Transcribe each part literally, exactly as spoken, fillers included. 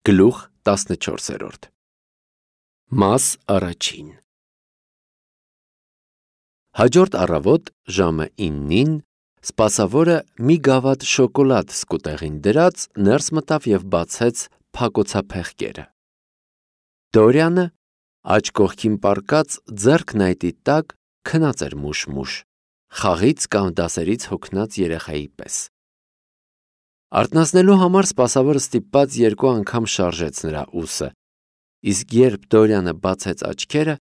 Գլուխ տասնչորսերորդ Մաս առաջին Հաջորդ առավոտ ժամը իննին սպասավորը մի գավաթ շոկոլադ սկուտեղին դրած ներս մտավ և բացեց փակոցափեղկերը։ Դորյանը աջ կողքին պառկած ձեռքն այդի տակ քնած էր մուշ-մուշ, խաղից կամ դասերից հոգնած երեխայի պես։ Արթնացնելու համար սպասավորը ստիպված երկու անգամ շարժեց նրա ուսը, իսկ երբ Դորյանը բացեց աչքերը,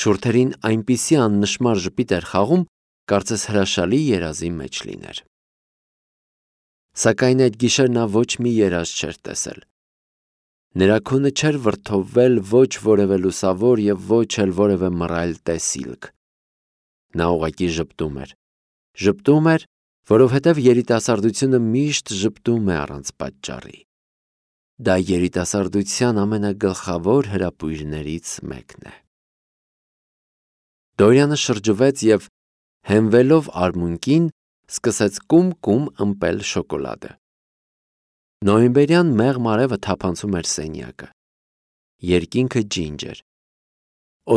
շուրթերին այնպիսի աննշմար ժպիտ էր խաղում, կարծես հրաշալի երազի մեջ լիներ։ Սակայն այդ գիշեր նա ոչ մի երազ չէր տեսել։ Նրա քունը չէր վրդովվել ոչ որևէ լուսավոր և ոչ էլ որևէ մռայլ տեսիլք։ Նա ուղղակի ժպտում էր, ժպտում էր, որովհետև երիտասարդությունը միշտ ժպտում է առանց պատճառի։ Դա երիտասարդության ամենագլխավոր հրապույրներից մեկն է։ Դորյանը շրջվեց և, հենվելով արմունկին, սկսեց կում-կում ըմպել շոկոլադը։ Նոյեմբերյան մեղմ արևը թափանցում էր սենյակը։ Երկինքը ջինջ էր։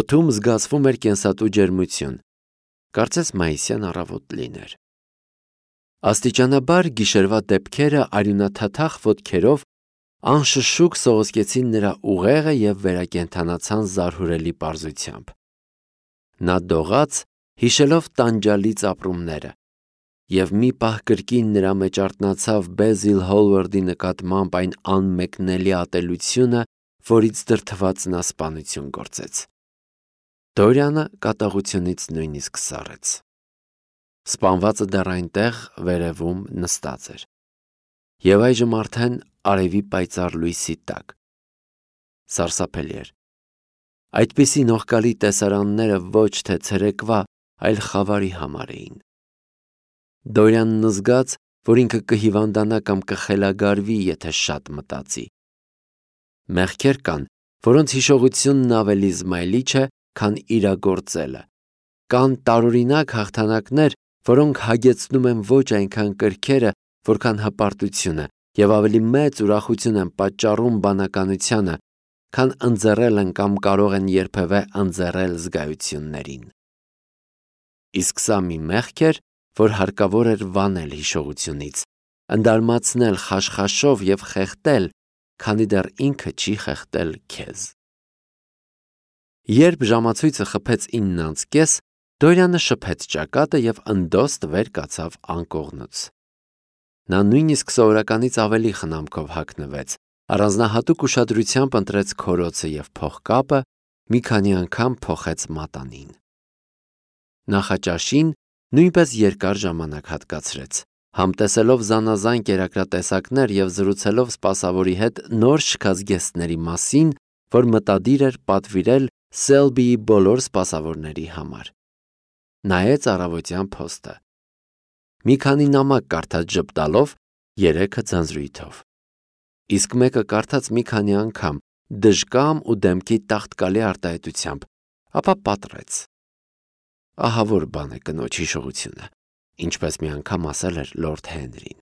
Օդում զգացվում էր կենսատու ջերմություն, կարծես մայիսյան առավոտ լիներ։ Աստիճանաբար գիշերվա դեպքերը արյունաթաթախ ոտքերով անշշուկ սողոսկեցին նրա ուղեղը և վերակենդանացան զարհուրելի պարզությամբ։ Նա դողաց, հիշելով տանջալից ապրումները, և մի պահ կրկին նրա մեջ արթնացավ Բեզիլ Հոլվարդի նկատմամբ այն անմեկնելի ատելությունը, որից դրդված նա սպանություն գործեց։ Դորյանը կատաղությունից նույնիսկ սառեց։ Սպանվածը դեռ այնտեղ վերևում նստած էր, և այժմ արդեն արևի պայծառ լույսի տակ։ Սարսափելի էր։ Այդպիսի նողկալի տեսարանները ոչ թե ցերեկվա, այլ խավարի համար էին։ Դորյանն զգաց, որ ինքը կհիվանդանա կամ կխելագարվի, եթե շատ մտածի։ Մեղքեր կան, որոնց հիշողությունն ավելի զմայլիչ է, քան իրագործելը։ Կան տարօրինակ հաղթանակներ, որոնք հագեցնում են ոչ այնքան կրքերը, որքան հպարտությունը, և ավելի մեծ ուրախություն են պատճառում բանականությանը, քան ընձեռելն կամ կարող են երբևէ ընձեռել զգայություններին։ Իսկ սա մի մեղք էր, որ հարկավոր էր վանել հիշողությունից, ընդարմացնել խաշխաշով և խեղդել, քանի դեռ ինքը չի խեղդել քեզ։ Երբ ժամացույցը խփեց ինն անց կես, Դորյանը շփեց ճակատը և ընդոստ վեր կացավ անկողնուց։ Նա նույնիսկ սովորականից ավելի խնամքով հագնվեց, առանձնահատուկ ուշադրությամբ ընտրեց քորոցը և փողկապը, մի քանի անգամ փոխեց մատանին։ Նախաճաշին նույնպես երկար ժամանակ հատկացրեց, համտեսելով զանազան կերակրատեսակներ և զրուցելով սպասավորի հետ նոր շքած գեստների մասին, որ մտադիր էր պատվիրել Սելբիի բոլոր սպասավորների համար։ Նայեց առավոտյան փոստը։ Մի քանի նամակ կարդաց ժպտալով, երեքը ձանձրույթով։ Իսկ մեկը կարդաց մի քանի անգամ, դժկամ ու դեմքի տաղտկալի արտահայտությամբ, ապա պատռեց։ Ահա որ բան է կնոջ հիշողությունը, ինչպես մի անգամ ասել էր լորդ Հենրին։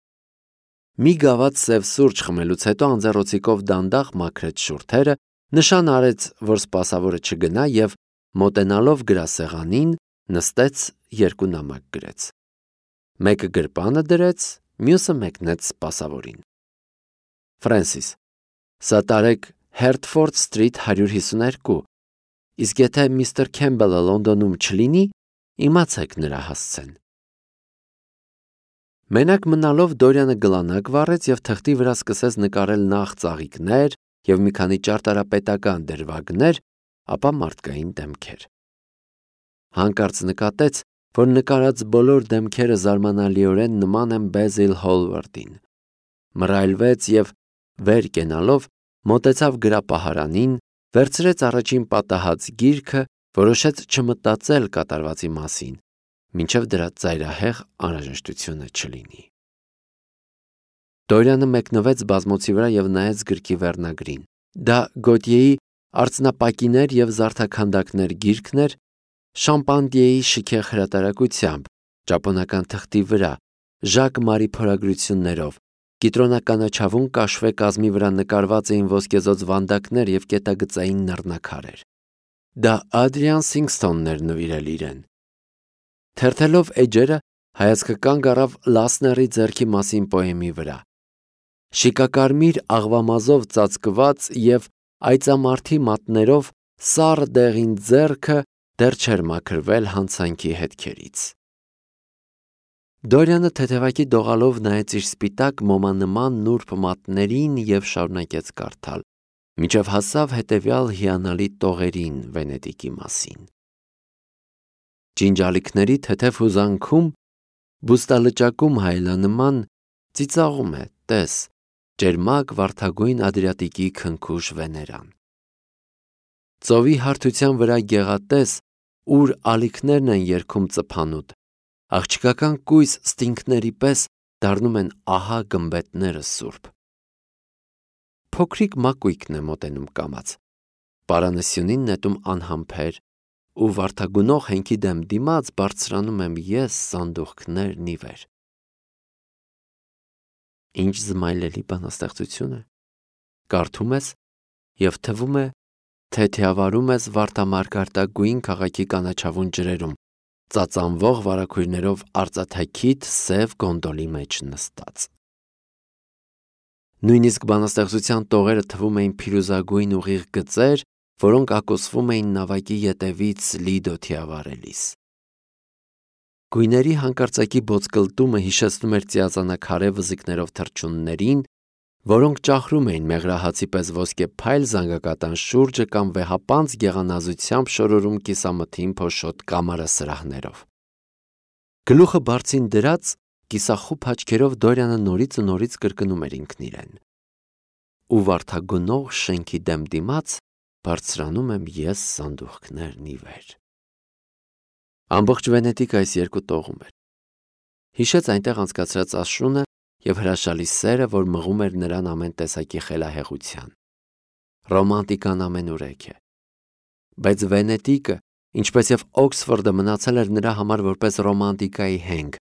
Մի գավաթ սև սուրճ խմելուց հետո անձեռոցիկով դանդաղ մաքրեց շուրթերը, նշան արեց, որ սպասավորը չգնա և, մոտենալով գրասեղանին, նստեց, երկու նամակ գրեց։ Մեկը գրպանը դրեց, մյուսը մեկնեց սպասավորին։ Ֆրենսիս, սա տարեք Հերթֆորդ սթրիթ հարյուր հիսուներկու, իսկ եթե միստր Քեմբելը Լոնդոնում չլինի, իմացեք նրա հասցեն։ Մենակ մնալով Դորյանը գլանակ վառեց և թղթի վրա սկսեց նկարել նախ ծաղիկներ և մի քանի ճարտարապետական դրվագներ, ապա մարդկային դեմքեր։ Հանկարծ նկատեց, որ նկարած բոլոր դեմքերը զարմանալիորեն նման են Բեզիլ Հոլվարդին։ Մռայլվեց և, վեր կենալով, մոտեցավ գրապահարանին, վերցրեց առաջին պատահած գիրքը, որոշեց չմտածել կատարվածի մասին, մինչև դրա ծայրահեղ անհրաժեշտությունը չլինի։ Դորյանը մեկնվեց բազմոցի վրա և նայեց գրքի վերնագրին։ Դա Գոտիեի «Արծնապակիներ և զարդաքանդակներ» գիրքն էր, Շամպանդիեի շքեղ հրատարակությամբ, ճապոնական թղթի վրա, Ժակ Մարի փորագրություններով, Կիտրոնականաչավուն կաշվե կազմի վրա նկարված էին ոսկեզօծ վանդակներ և կետագծային նռնակարեր։ Դա Ադրիան Սինգսթոնն էր նվիրել իրեն։ Թերթելով էջերը, հայացքը կանգ առավ Լասների ձեռքի մասին պոեմի վրա։ Շիկակարմիր աղվամազով ծածկված և այծամարդի մատներով սառը դեղին ձեռքը դեռ չէր մաքրվել հանցանքի հետքերից։ Դորիանը թեթևակի դողալով նայեց իր սպիտակ մոմանման նուրբ մատներին և շարունակեց կարդալ, մինչև հասավ հետևյալ հիանալի տողերին Վենետիկի մասին։ Ջինջալիկների թեթև հուզանքում, բուստալճակում հայելանման ծիծաղում է, տես, ճերմակ վարդագույն Ադրիատիկի քնքուշ Վեներան։ Ծովի հարթության վրա գեղատես, ուր ալիքներն են երգում ծփանուտ, աղջկական կույս ստինգների պես դառնում են ահա գմբեթները սուրբ։ Փոքրիկ մակույկն է մոտենում կամաց, պարանը սյունին նետում անհամբեր, ու վարդագունող հենքի դեմ դիմաց բարձրանում եմ ես սանդուղքներն ի վեր։ Ինչ զմայլելի բանաստեղծություն է, կարդում ես և թվում է, թե թիավարում ես վարդամարգարտագույն քաղաքի կանաչավուն ջրերում, ծածանվող վարագույրներով արծաթաքիթ սև գոնդոլի մեջ նստած։ Նույնիսկ բանաստեղծության տողերը թվում էին փիրուզագույն ուղիղ գծեր, որոնք ակոսվում էին նավակի ետևից Լիդո թիավարելիս։ Գույների հանկարծակի բոցկլտումը հիշեցնում էր ծիածանաքարե վզիկներով թռչուններին, որոնք ճախրում էին մեղրահացի պես ոսկե փայլ զանգակատան շուրջը կամ վեհապանծ գեղանազությամբ շորորում կիսամթին փոշոտ կամարասրահներով։ Գլուխը բարձին դրած, կիսախուփ աչքերով Դորիանը նորից ու նորից կրկնում էր ինքն իրեն. ու վարդագնող շենքի դեմ դիմաց բարձրանում եմ ես սանդուղքներն ի վեր։ Ամբողջ Վենետիկը այս երկու տողում էր։ Հիշեց այնտեղ անցկացրած աշունը և հրաշալի սերը, որ մղում էր նրան ամեն տեսակի խելահեղության։ Ռոմանտիկան ամենուրեք է։ Բայց Վենետիկը, ինչպես և Օքսֆորդը, մնացել էր նրա համար որպես ռոմանտիկայի հենք,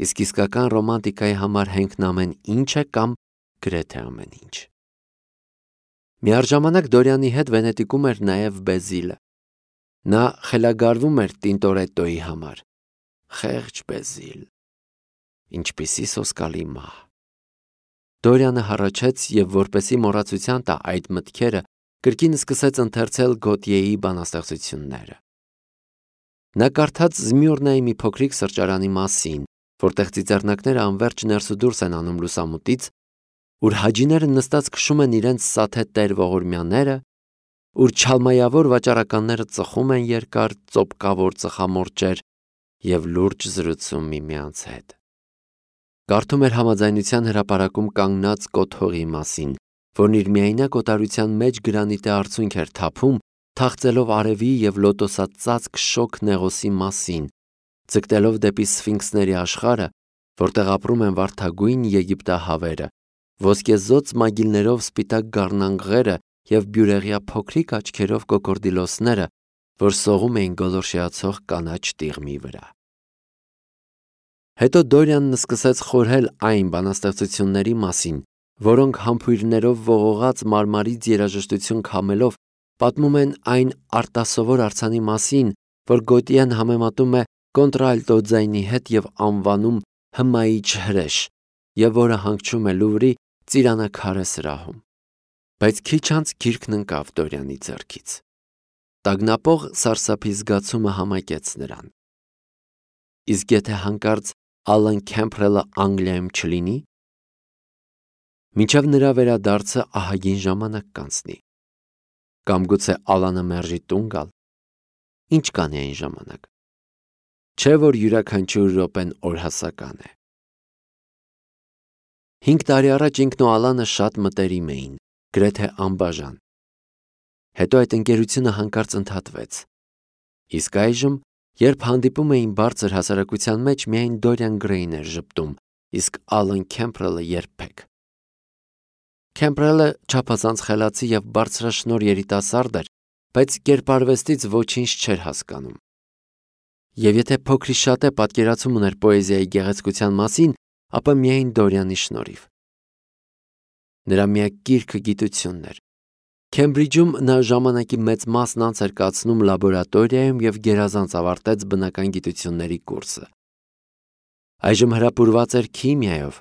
իսկ իսկական ռոմանտիկայի համար հենքն ամեն ինչ է կամ գրեթե ամեն ինչ։ Միառժամանակ Դորիանի հետ Վենետիկում էր նաև Բեզիլը։ Նա խելագարվում էր Տինտորետոյի համար։ Խեղճ Բեզիլ, ինչպիսի սոսկալի մահ։ Դորիանը հառաչեց և, որպեսզի մոռացության տա այդ մտքերը, կրկին սկսեց ընթերցել Գոտիեի բանաստեղծությունները։ Նա կարդաց Զմյուրնայի մի փոքրիկ սրճարանի մասին, որտեղ ծիծեռնակները անվերջ ներս ու դուրս են անում լուսամուտից, ուր հաջիները նստած քշում են իրենց սաթե տեր ողորմյաները, ուր չալմայավոր վաճառականները ծխում են երկար ծոպկավոր ծխամորճեր և լուրջ զրուցում միմյանց հետ։ Կարդում էր Համաձայնության հրապարակում կանգնած կոթողի մասին, որն իր միայնակ օտարության մեջ գրանիտե արցունք էր թափում, թախծելով արևի և լոտոսածածկ շոգ Նեղոսի մասին, ձգտելով դեպի Սֆինքսների աշխարհը, որտեղ ապրում են վարդագույն եգիպտահավերը, ոսկեզօծ մագիլներով սպիտակ գառնանղերը և բյուրեղյա փոքրիկ աչքերով կոկորդիլոսները, որ սողում էին գոլորշիացող կանաչ տիղմի վրա։ Հետո Դորիանն սկսեց խորհել այն բանաստեղծությունների մասին, որոնք համբույրներով ողողած մարմարից երաժշտություն քամելով պատմում են այն արտասովոր արձանի մասին, որ Գոտիեն համեմատում է կոնտրալտո ձայնի հետ և անվանում հմայիչ հրեշ, և որը հանգչում է Լուվրի ծիրանաքարե սրահում։ Բայց քիչ անց գիրքն ընկավ Դորիանի ձեռքից։ Տագնապող սարսափի զգացումը համակեց նրան։ Իսկ եթե հանկարծ Ալան Քեմփրելը Անգլիայում չլինի։ Մինչև նրա վերադարձը ահագին ժամանակ կանցնի։ Կամ գուցե Ալանը մերժի տուն գալ։ Ինչ կանի այն ժամանակ։ Չէ՞ որ յուրաքանչյուր րոպեն օրհասական է։ Հինգ տարի առաջ ինքն ու Ալանը շատ մտերիմ էին, գրեթե անբաժան։ Հետո այդ ընկերությունը հանկարծ ընդհատվեց։ Իսկ այժմ, երբ հանդիպում էին բարձր հասարակության մեջ, միայն Դորիան Գրեյն էր ժպտում, իսկ Ալան Քեմփրելը երբեք։ Քեմփրելը չափազանց խելացի և բարձրաշնորհ երիտասարդ էր, բայց կերպարվեստից ոչինչ չէր հասկանում։ Եվ եթե փոքրիշատե պատկերացում ուներ պոեզիայի գեղեցկության մասին, ապա միայն Դորիանի շնորհիվ։ Նրա միակ գիրքը գիտությունն էր։ Քեմբրիջում նա ժամանակի մեծ մասն անց էր կացնում լաբորատորիայում և գերազանց ավարտեց բնական գիտությունների կուրսը։ Այժմ հրապուրված էր քիմիայով,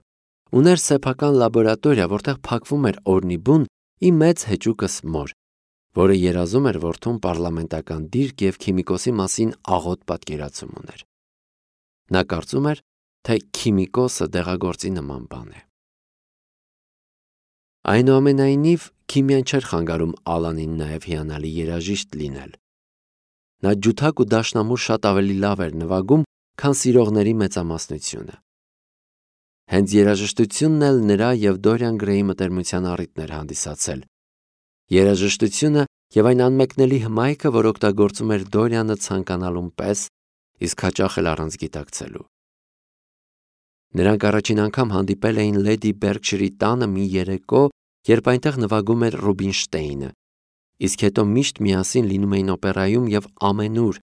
ուներ սեփական լաբորատորիա, որտեղ փակվում էր օրնի բուն ի մեծ հեճուկս մոր, որը երազում էր որդուն պարլամենտական դիրք և քիմիկոսի մասին աղոտ պատկերացում ուներ։ Նա կարծում էր, թե քիմիկոսը դեղագործի նման բան է։ Այնուամենայնիվ, քիմիան չէր խանգարում Ալանին նաև հիանալի երաժիշտ լինել։ Նա ջութակ ու դաշնամուր շատ ավելի լավ էր նվագում, քան սիրողների մեծամասնությունը։ Հենց երաժշտությունն էլ նրա և Դորիան Գրեյի մտերմության առիթն էր հանդիսացել։ Երաժշտությունը և այն անմեկնելի հմայքը, որ օգտագործում էր Դորիանը ցանկանալուն պես, իսկ հաճախ էլ առանց գիտակցելու։ Նրանք առաջին անգամ հանդիպել էին Լեդի Բերքշիրի տանը մի երեկո, երբ այնտեղ նվագում էր Ռուբինշտեյնը, իսկ հետո միշտ միասին լինում էին օպերայում և ամենուր,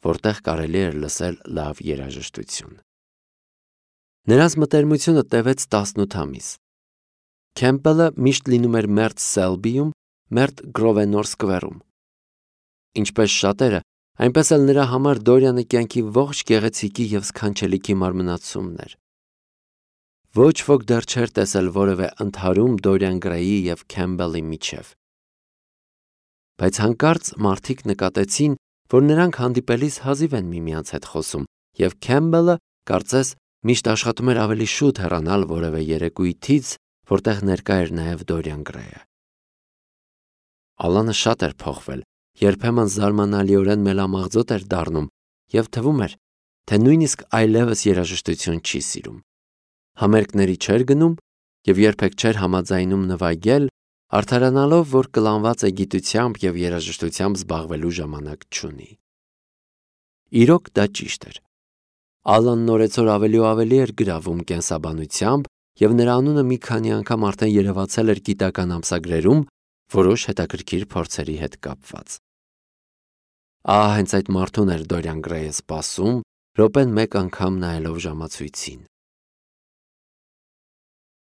որտեղ կարելի էր լսել լավ երաժշտություն։ Նրանց մտերմությունը տևեց տասնութ ամիս։ Քեմփելը միշտ լինում էր Մերտ Սելբիում, Մերտ Գրովենոր Սկվերում։ Ինչպես շատերը, այնպես էլ նրա համար Դորիանը կյանքի ողջ գեղեցիկի և սքանչելիքի մարմնացումն էր։ Ոչ ոք դեռ չէր տեսել որևէ ընդհարում Դորիան Գրեյի և Քեմփելի միջև։ Բայց հանկարծ մարդիկ նկատեցին, որ նրանք հանդիպելիս հազիվ են միմյանց հետ խոսում, և Քեմփելը, կարծես, միշտ աշխատում էր ավելի շուտ հեռանալ որևէ երեկույթից, որտեղ ներկա էր նաև Դորիան Գրեյը։ Ալանը շատ էր փոխվել, երբեմն զարմանալիորեն մելամաղձոտ էր դառնում և թվում էր, թե նույնիսկ այլևս երաժշտություն չի սիրում։ Համերգների չէր գնում և երբեք չէր համաձայնում նվագել, արդարանալով, որ կլանված է գիտությամբ և երաժշտությամբ զբաղվելու ժամանակ չունի։ Իրոք դա ճիշտ էր։ Ալանն օրեցօր ավելի ու ավելի էր գրավում կենսաբանությամբ, և նրա անունը մի քանի անգամ արդեն երևացել էր գիտական ամսագրերում որոշ հետաքրքիր փորձերի հետ կապված։ Ահա հենց այդ մարդուն էր Դորիան Գրեյը սպասում, րոպեն մեկ անգամ նայելով ժամացույցին։